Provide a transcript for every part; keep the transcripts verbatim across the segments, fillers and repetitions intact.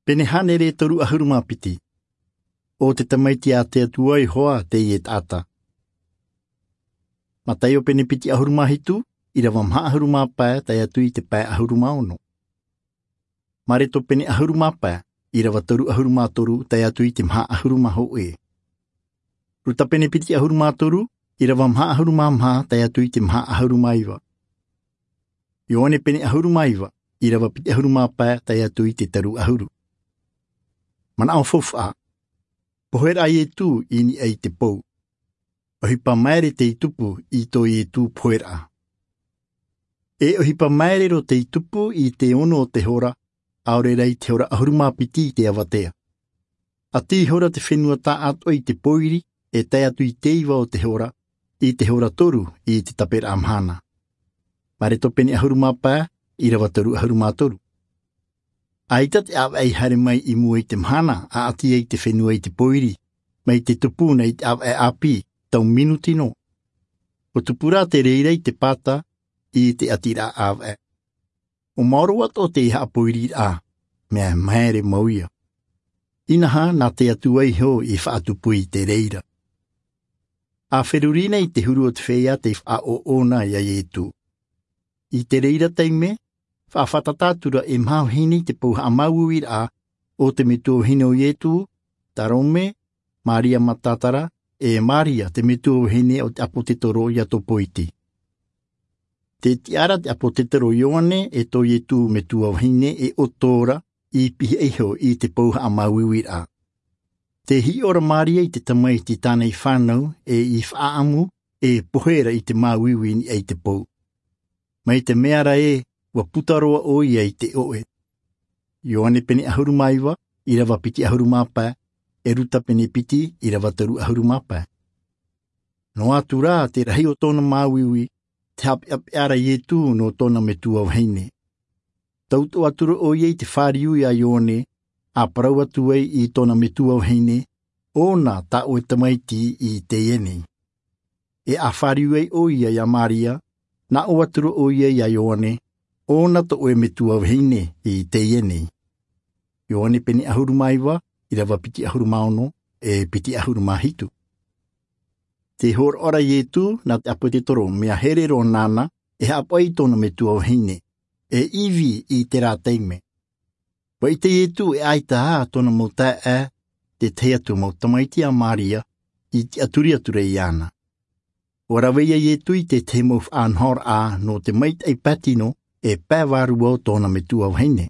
Pene hānere toru ʻahuru mā piti. ʻO te Tamaiti a te Atua Iehova teie taʻata. Mataio pene piti ʻahuru mā hitu, ʻīrava maha ʻahuru mā pae, tae atu i te pae ʻahuru mā ono. Mareko pene ʻahuru mā pae, ʻīrava toru ʻahuru mā toru, tae atu i te maha ʻahuru mā hōʻē. Luka pene piti ʻahuru mā toru, ʻīrava maha ʻahuru mā maha, tae atu i te maha ʻahuru mā iva. Ioane pene ʻahuru mā iva, ʻīrava piti ʻahuru mā pae, tae atu i te toru ʻahuru. Manaʻo faufaʻa. Poheraʻa a Ietu i niʻa i te pou. ʻOhipa maere tei tupu i tō Ietu poheraʻa. E ʻohipa maere roa tei tupu i te ono o te hora, ʻaore rā i te hora ʻahuru mā piti i te avatea. ʻAti ihora te fenua taʻatoʻa i te pōiri, e tae atu i te iva o te hora, i te hora toru i te taperaʻa mahana. Mareko pene ʻahuru mā pae, ʻīrava toru ʻahuru mā toru. ʻAita te ʻāvaʻe i haere mai i mua i te mahana, ʻa ʻati ai te fenua i te pōiri, mai te tupu na i te ʻāvaʻe ʻāpī, tau minuti noa. ʻUa tupu rā te reira i te pata, i te ʻatiraʻa ʻāvaʻe. ʻUa maoro atoʻa te haʻapōiriraʻa, mea maere mau ia. Inaha, nā te Atua iho i faʻatupu i te reira. ʻA feruri na i te huru o te feiā tei faʻaʻoʻona ia Ietu. I te reira taime, faʻafātata atu ra e maha vahine i te pou haʻamāuiuiraʻa, ʻo te metua vahine o Ietu, Tarome, Maria Matatatara, e Maria te metua vahine o te ʻāpōsetolo Iakobo iti. Tē tiʻa ra te ʻāpōsetolo Ioane e tō Ietu metua vahine e ʻoto ra i pihaʻi iho i te pou haʻamāuiuiraʻa. Tē hiʻo ra Maria i te Tamaiti i tāna i fānau e i faʻaʻamu e pohe ra i te māuiui i niʻa i te pou. Mai te mea ra ē, ʻua puta roa ʻoia i te ʻoʻe. Ioane pene ʻahuru mā iva, ʻīrava piti ʻahuru mā pae, e Luka pene piti, ʻīrava toru ʻahuru mā pae. Noa atu rā te rahi o tōna māuiui, tē haʻapeʻapeʻa ra Ietu nō tōna metua vahine. Tautoʻo atu ra ʻoia i te fāriu ia Ioane, ʻa parau atu ai i tōna metua vahine, ʻOna tā ʻoe Tamaiti i teie nei. E ʻa fāriu ai ʻoia ia Maria, nā ʻō atu ra ʻoia ia Ioane, ʻOna tō ʻoe metua vahine i teie nei. Ioane pene ʻahuru mā iva, ʻīrava piti ʻahuru mā ono, e piti ʻahuru mā hitu. Tē hōroʻa ra Ietu nā te ʻāpōsetolo mea here roa nāna e haʻapaʻo i tōna metua vahine, e ivi i terā taime. ʻUa ʻite Ietu e ʻaita ā tōna mau taeaʻe, te tahi atu mau tamaiti a Maria, i tiʻaturi atu ra iāna. ʻUa rave ia Ietu i te tahi mau faʻanahoraʻa nō te maitaʻi patino e pae vārua o tōna metua vahine.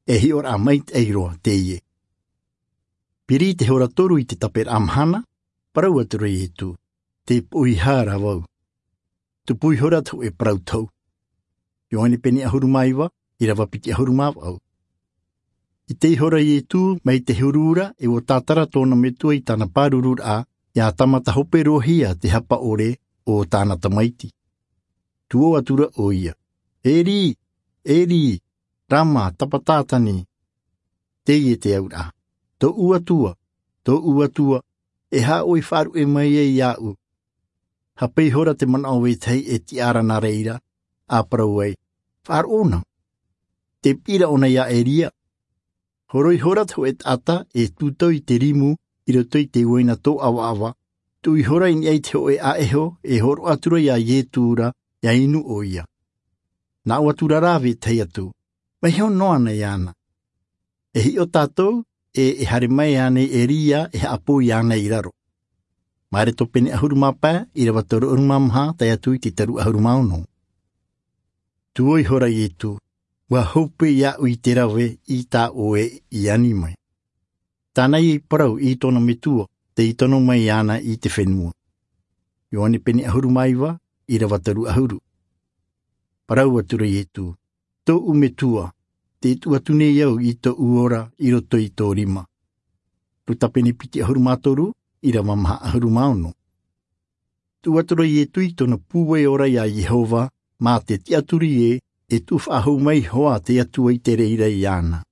E hiʻoraʻa maitaʻi roa teie. Piri i te hora toru i te taperaʻa mahana, parau atu ra Ietu, Tē poʻihā ra vau. Tupu ihora te hōʻē parau tohu. Ioane pene ʻahuru mā iva, ʻīrava piti ʻahuru mā vaʻu. ʻIte ihora Ietu mai te huru ra e ʻua tātara tōna metua i tāna pārururaʻa, ʻia tāmata hope roa hia te hapa ʻore o tāna tamaiti. Tē ʻō atu ra ʻoia, Eri, Eri, rama sabaktani. Teie te auraʻa, Tōʻu Atua, tōʻu Atua, e aha ʻoe i faʻaruʻe mai ai iāʻu? Hape ihora te manaʻo vetahi e tiʻa ra nā reira, ʻa parau ai, Faʻaroʻo na. Tē piʻi ra ʻōna ia Eria. Horo ihora te hōʻē taʻata e tūtau i te rimu i roto i te uaina tōʻavaʻava, tuʻu ihora i niʻa i te hōʻē ʻāʻeho e hōroʻa atu ra ia Ietu ra, ʻia inu ʻoia. Nā ʻō atu ra rā vetahi atu, Vaiho noa na iāna. E hiʻo tātou, e, e haere mai ānei Eria e haʻapō iāna i raro? Mareko pene ʻahuru mā pae, ʻīrava toru ʻahuru mā maha, tae atu i te toru ʻahuru mā ono. Tē ʻō ihora Ietu, ʻUa hope iāʻu i te rave i tā ʻoe i ani mai. Tāna ia i parau i tōna metua, tei tono mai iāna i te fenua. Ioane pene ʻahuru mā iva, ʻīrava toru ʻahuru. Parau atu ra Ietu, Tōʻu Metua, tē tuʻu atu nei au i tōʻu ora i roto i tō rima. Luka pene piti ʻahuru mā toru, ʻīrava maha ʻahuru mā ono. Tuʻu atu ra Ietu i tōna pūai ora ia Iehova, mā te tiʻaturi ē, e tuʻu faʻahou mai hoʻi te Atua i te reira iāna.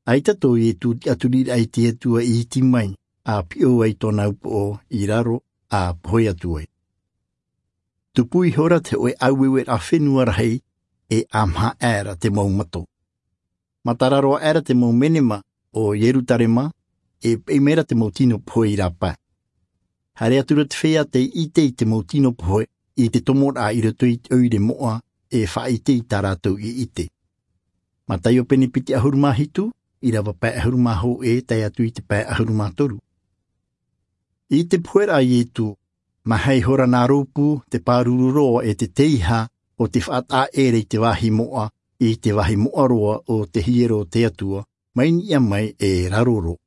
ʻAita tō Ietu tiʻaturiraʻa i te Atua i iti mai, ʻa piʻo ai tōna upoʻo i raro, ʻa pohe atu ai. Tupu ihora te hōʻē ʻāueueraʻa fenua rahi, e ʻa maha aʻera te mau mato. Matara roa aʻera te mau menema o Ierutarema, e peʻe mai ra te mau tino pohe i rāpae. Haere atu ra te feiā tei ʻite i te mau tino pohe i te tomoraʻa i roto i te ʻoire moʻa, e faʻaʻite i tā rātou i ʻite. Mataio pene piti ʻahuru mā hitu, ʻīrava pae ʻahuru mā hōʻē tae atu i te pae ʻahuru mā toru. I te poheraʻa a Ietu, mā hea ihora nā rōpū, te pāruru roa e te teiaha o te faʻataʻa ʻē ra i te vāhi moʻa, i te vāhi moʻa roa o te hiero o te Atua, mai niʻa mai e raro roa.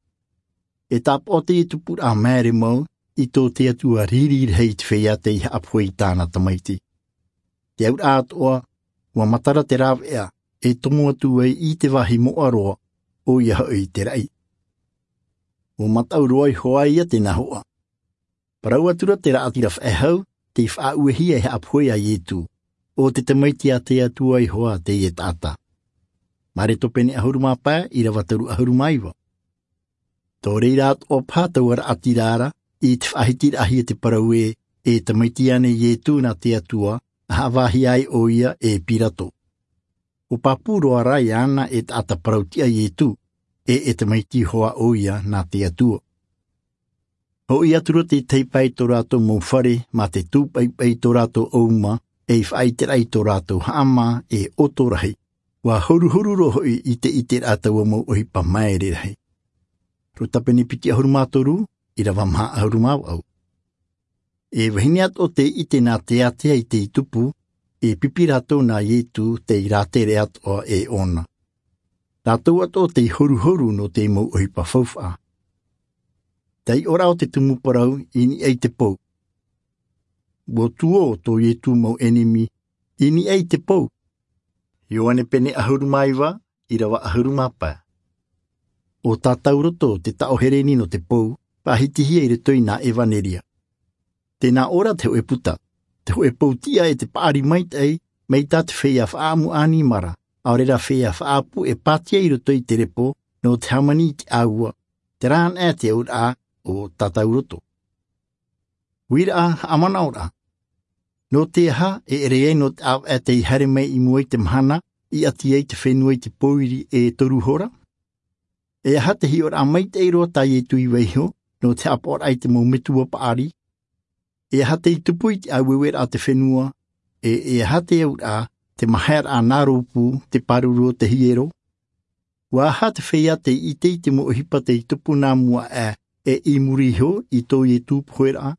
E tāpaʻo teie tupuraʻa māere mau i tō te Atua riri rahi i te feiā tei haʻapohe i tāna tamaiti. Te auraʻa atoʻa, ʻua matara te rāveʻa e tomo atu ai i te vāhi moʻa roa, ʻoia hoʻi te raʻi. ʻUa mataʻu roa iho ā ia tēnā hoʻa. Parau atu ra te raʻatira faʻehau tei faʻauehia e haʻapohe ia Ietu, ʻo te tamaiti a te Atua iho ā teie taʻata. Mareko pene ʻahuru mā pae, ʻīrava toru ʻahuru mā iva. Tō reira atoʻa paha taua raʻatira ra, i te faʻahitiraʻahia te parau ē, e tamaiti ānei Ietu nā te Atua, ʻa haʻavāhia ai ʻoia e Pirato. ʻUa pāpū roa rā iāna e taʻata parau tiʻa Ietu, e e tamaiti iho ā ʻoia nā te Atua. Hoʻi atu ra te tahi pae i tō rātou mau fare, mā te tūpaʻipaʻi i tō rātou ʻauma, ei faʻaʻiteraʻa i tō rātou haʻamā, e ʻoto rahi. ʻUa horuhoru roa hoʻi i te ʻiteraʻa taua mau ʻohipa māere rahi. Ruta pene piti ʻahuru mā toru, ʻīrava maha ʻahuru mā vaʻu. E vahine atoʻa tei ʻite nā teatea i te tupu, e pipi rātou nā Ietu tei rātere atoʻa e ʻōna. Rātou atoʻa tei horuhoru nō te mau ʻohipa faufaʻa. Taiʻoraʻa o te tumu parau i niʻa i te pou. ʻUa tuō tō Ietu mau ʻenemi i niʻa i te pou. Ioane pene ʻahuru mā iva, ʻīrava ʻahuru mā pae. ʻO Tātauroto te taʻo Hereni nō te pou, faʻahitihia i roto i nā ʻEvaneria. Tē nā ʻō ra te hōʻē puta, te hōʻē pou tiʻa e te paʻari maitaʻi, mai tā te feiā faʻaʻamu ʻānimara, ʻaore rā feiā faʻaʻapu e pātia i roto i te repo, nō te hāmani i te ʻāua, terā anaʻe te auraʻa o Tātauroto. Uiraʻa, haʻamanaʻoraʻa. Nō te aha e ʻere ai nō te ʻāvaʻe tei haere mai i mua i te mahana, i ʻati ai te fenua i te pōiri e toru hora? E aha te hiʻoraʻa maitaʻi roa tā Ietu i vaiiho, nō te haʻapaʻoraʻa i te mau metua paʻari? E aha tei tupu i te ʻāueueraʻa o te fenua? E, e aha te auraʻa, te mahaeraʻa nā rōpū, te pāruru o te hiero? ʻUa aha te feiā tei ʻite i te mau ʻohipa tei tupu nā mua aʻe, e i muri iho i tō Ietu poheraʻa?